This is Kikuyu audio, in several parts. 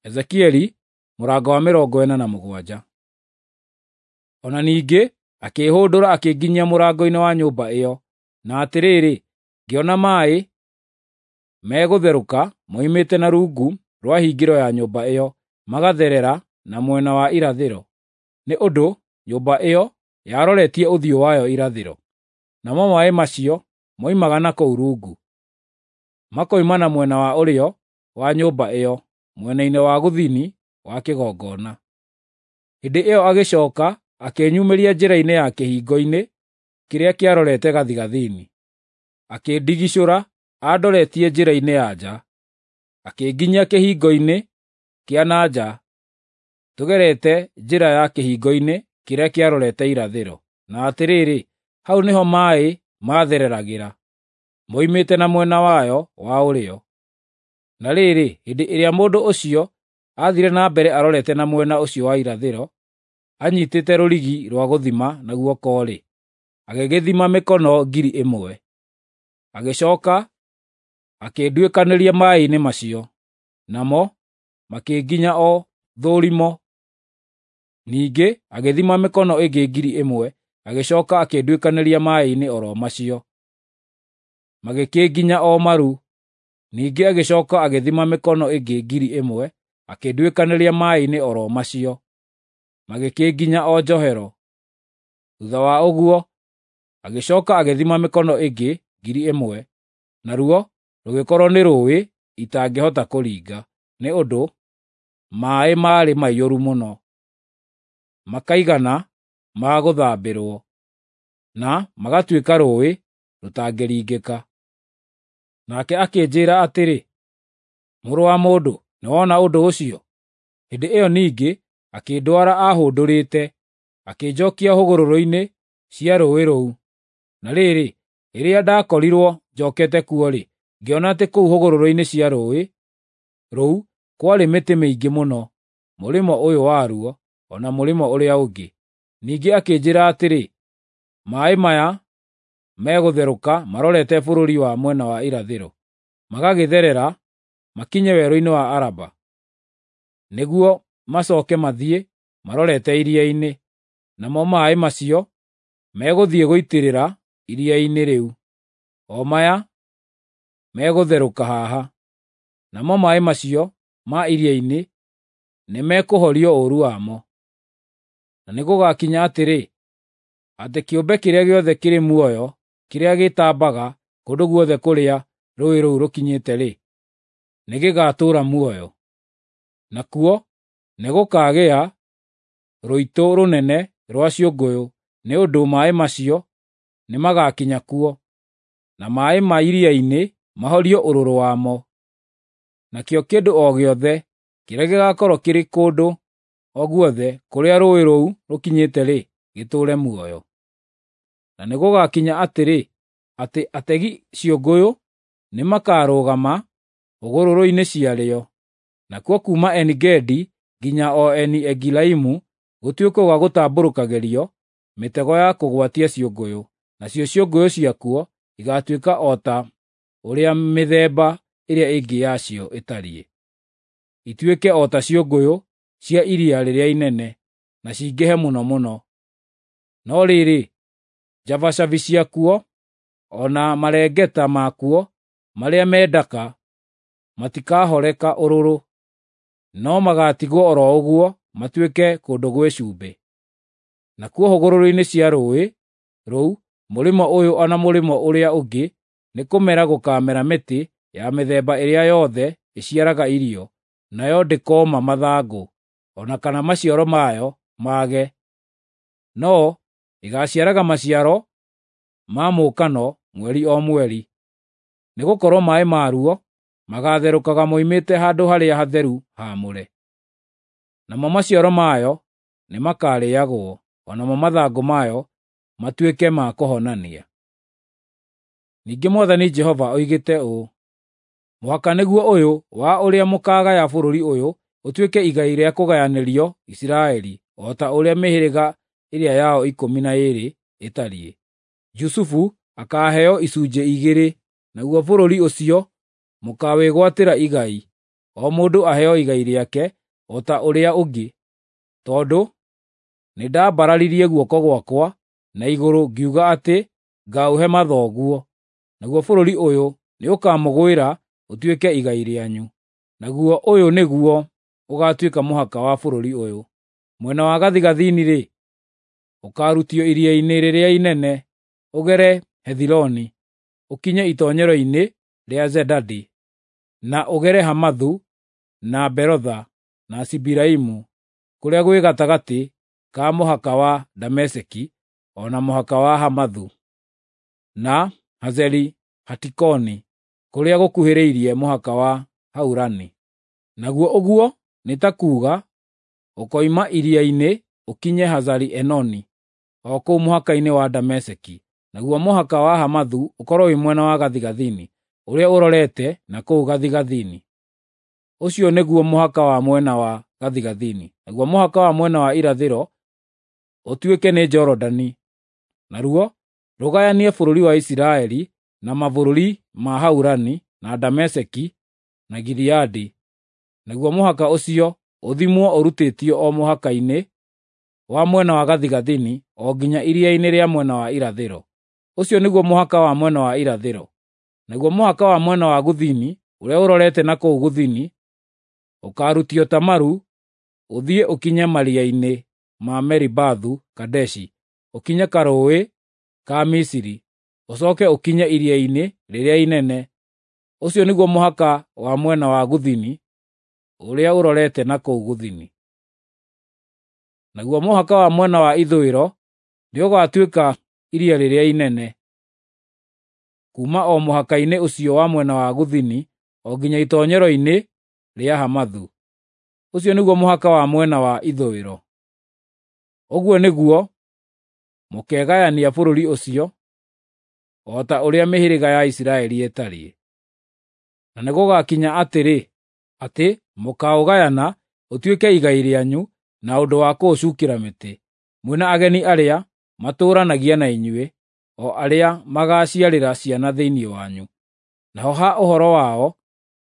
Ezekieli mũrango wa 47. O na ningĩ akĩĩhũndũra akĩnginyia mũrango-inĩ wa nyũmba ĩyo, na atĩrĩrĩ, ngĩona maaĩ megũtherũka moimĩte na rungu rwa hingĩro ya nyũmba ĩyo, magatherera na mwena wa irathĩro, nĩ ũndũ nyũmba ĩyo yaroretie ũthiũ wayo irathĩro. Namo maaĩ macio moimaga na kũu rungu, makoima na mwena wa ũrĩo wa nyũmba ĩyo, mwena-inĩ wa gũthini wa kĩgongona. Hĩndĩ ĩyo agĩcooka akĩnyumĩria njĩra-inĩ ya kĩhingo-inĩ kĩrĩa kĩarorete gathigathini, akĩndigicũra andoretie njĩra-inĩ ya nja, akĩnginyia kĩhingo-inĩ kĩa na nja tũgerete njĩra ya kĩhingo-inĩ kĩrĩa kĩarorete irathĩro. Na atĩrĩrĩ, hau nĩho maaĩ maathereragĩra, moimĩte na mwena wayo wa ũrĩo. Na rĩrĩ, hĩndĩ ĩrĩa mũndũ ũcio aathiire na mbere arorete na mwena ũcio wa irathĩro, anyiitĩte rũrigi rwa gũthima na guoko-rĩ, agĩgĩthima mĩkono 1,000. Agĩcooka akĩnduĩkanĩria maaĩ-inĩ macio, namo makĩnginya o thũrimo. Ningĩ agĩthima mĩkono ĩngĩ 1,000, agĩcooka akĩnduĩkanĩria maaĩ-inĩ o ro macio, magĩkĩnginya o maru. Ningĩ agĩcooka agĩthima mĩkono ĩngĩ 1,000, akĩnduĩkanĩria maaĩ-inĩ o ro macio, magĩkĩnginya o njohero. Thuutha wa ũguo agĩcooka agĩthima mĩkono ĩngĩ 1,000, naruo rũgĩkorwo nĩ rũũĩ itangĩhota kũringa, nĩ ũndũ maaĩ maarĩ maiyũru mũno, makaigana ma gũthambĩrwo, na magatuĩka rũũĩ rũtangĩringĩka. Nake akĩnjĩĩra atĩrĩ, “Mũrũ wa mũndũ, nĩwona ũndũ ũcio?” Hĩndĩ ĩyo ningĩ akĩndwara ahũndũrĩte, akĩnjookia hũgũrũrũ-inĩ cia rũũĩ rũu. Na rĩrĩ, rĩrĩa ndakorirwo njookete kuo-rĩ, ngĩona atĩ kũu hũgũrũrũ-inĩ cia rũũĩ rũu kwarĩ mĩtĩ mĩingĩ mũno, mũrĩmo ũyũ waruo o na mũrĩmo ũrĩa ũngĩ. Ningĩ akĩnjĩĩra atĩrĩ, “Maaĩ maya megũtherũka marorete bũrũri wa mwena wa irathĩro, magagĩtherera makinye werũ-inĩ wa Araba, nĩguo macooke mathiĩ marorete iria-inĩ, namo maaĩ macio megũthiĩ gũitĩrĩra iria-inĩ rĩu, o maya megũtherũka haha. Namo maaĩ macio ma iria-inĩ nĩmekũhorio ũũru wamo. Na nĩgũgakinya atĩrĩ, atĩ kĩũmbe kĩrĩa gĩothe kĩrĩ muoyo kĩrĩa gĩtambaga kũndũ guothe kũrĩa rũũĩ rũu rũkinyĩte-rĩ, nĩgĩgatũũra muoyo. Nakuo nĩgũkagĩa rũitũ rũnene rwa ciũngũyũ, nĩ ũndũ maaĩ macio nĩmagakinya kuo, na maaĩ ma iria-inĩ mahorio ũrũrũ wamo. Nakĩo kĩndũ o gĩothe kĩrĩa gĩgaakorwo kĩrĩ kũndũ o guothe kũrĩa rũũĩ rũu rũkinyĩte-rĩ, gĩtũũre muoyo. Na nĩgũgakinya atĩrĩ, atĩ ategi ciũngũyũ nĩmakarũgama hũgũrũrũ-inĩ ciarĩo, nakuo kuuma Eni-Gedi nginya o Eni-Egilaimu gũtuĩke gwa gũtambũrũkagĩrio mĩtego ya kũgwatia ciũngũyũ, nacio ciũngũyũ ciakuo igaatuĩka o ta ũrĩa mĩthemba ĩrĩa ĩngĩ yacio ĩtariĩ, ituĩke o ta ciũngũyũ cia iria rĩrĩa inene, na cingĩhe mũno mũno. No rĩrĩ, njabacabi ciakuo o na marengeta makuo marĩa me ndaka matikahoreka ũrũrũ, no magaatigwo o ro ũguo matuĩke kũndũ gwĩ cumbĩ. Nakuo hũgũrũrũ-inĩ cia rũũĩ rũu, mũrĩmo ũyũ o na mũrĩmo ũrĩa ũngĩ, nĩkũmera gũkaamera mĩtĩ ya mĩthemba ĩrĩa yothe ĩciaraga irio, nayo ndĩkooma mathangũ, o na kana maciaro mayo mage, no ĩgaaciaraga maciaro ma mũũkano mweri o mweri, nĩgũkorwo maaĩ maruo magaatherũkaga moimĩte handũ harĩa hatheru haamũre. Namo maciaro mayo nĩmakarĩĩagwo, o namo mathangũ mayo matuĩke ma kũhonania. Ningĩ Mwathani Jehova oigĩte ũũ: “Mũhaka nĩguo ũyũ wa ũrĩa mũkaagaya bũrũri ũyũ ũtuĩke igai rĩa kũgayanĩrio Isiraeli, o ta ũrĩa mĩhĩrĩga ĩrĩa yao 12 ĩtariĩ. Jusufu akaaheo icunjĩ igĩrĩ, naguo bũrũri ũcio mũkaawĩgwatĩra igai. o mũndũ aheo igai rĩake o ta ũrĩa ũngĩ, tondũ nĩndambararirie guoko gwakwa na igũrũ ngiuga atĩ ngaũhe mathoguo, naguo bũrũri ũyũ nĩũkamũgwĩra ũtuĩke igai rĩanyu. Naguo ũyũ nĩguo ũgaatuĩka mũhaka wa bũrũri ũyũ. Mwena wa gathigathini-rĩ, ũkaarutio iria-inĩ rĩrĩa inene, ũgere Hethiloni, ũkinye itoonyero-inĩ rĩa Zedadi, na ũgere Hamathu na Berotha na Sibiraimu, kũrĩa gwĩ gatagatĩ ka mũhaka wa Dameseki o na mũhaka wa Hamathu, na Hazeri-Hatikoni, kũrĩa gũkuhĩrĩirie mũhaka wa Haurani. Naguo ũguo nĩ ta kuuga ũkoima iria-inĩ ũkinye Hazari-Enoni, o kũu mũhaka-inĩ wa Dameseki. Naguo mũhaka wa Hamathu ũkorwo wĩ mwena wa gathigathini, ũrĩa ũrorete na kũu gathigathini. Ũcio nĩguo mũhaka wa mwena wa gathigathini. Naguo mũhaka wa mwena wa irathĩro ũtuĩke nĩ Jorodani, naruo rũgayanie bũrũri wa Isiraeli na mabũrũri ma Haurani na Dameseki na Gileadi. Naguo mũhaka ũcio ũthimwo ũrutĩtio o mũhaka-inĩ wa mwena wa gathigathini o nginya iria-inĩ rĩa mwena wa irathĩro. Ũcio nĩguo mũhaka wa mwena wa irathĩro. Naguo mũhaka wa mwena wa gũthini ũrĩa ũrorete na kũu gũthini ũkaarutio Tamaru ũthiĩ ũkinye maria-inĩ ma Meribathu Kadeshi, ũkinye karũũĩ ka Misiri, ũcooke ũkinye iria-inĩ rĩrĩa inene. Ũcio nĩguo mũhaka wa mwena wa gũthini ũrĩa ũrorete na kũu gũthini. Naguo mũhaka wa mwena wa ithũĩro nĩũgatuĩka iria rĩrĩa inene, kuuma o mũhaka-inĩ ũcio wa mwena wa gũthini o nginya itoonyero-inĩ rĩa Hamathu. Ũcio nĩguo mũhaka wa mwena wa ithũĩro. Ũguo nĩguo mũkegayania bũrũri ũcio, o ta ũrĩa mĩhĩrĩga ya Isiraeli ĩtariĩ. Na nĩgũgakinya atĩrĩ, atĩ mũkaũgayana ũtuĩke igai rĩanyu na ũndũ wa kũũcukĩra mĩtĩ, mwĩ na ageni arĩa matũũranagia na inyuĩ, o arĩa magaaciarĩra ciana thĩinĩ wanyu. Naho ha ũhoro wao,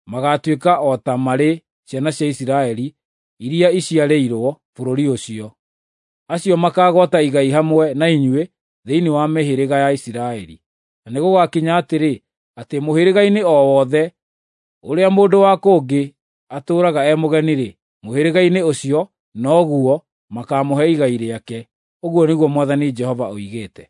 magaatuĩka o ta marĩ ciana cia Isiraeli iria iciarĩirwo bũrũri ũcio. Acio makaagwata igai hamwe na inyuĩ thĩinĩ wa mĩhĩrĩga ya Isiraeli. Na nĩgũgakinya atĩrĩ, atĩ mũhĩrĩga-inĩ o wothe ũrĩa mũndũ wa kũngĩ atũũraga e mũgeni-rĩ, mũhĩrĩga-inĩ ũcio noguo makaamũhe igai rĩake. Ũguo nĩguo Mwathani Jehova oigĩte.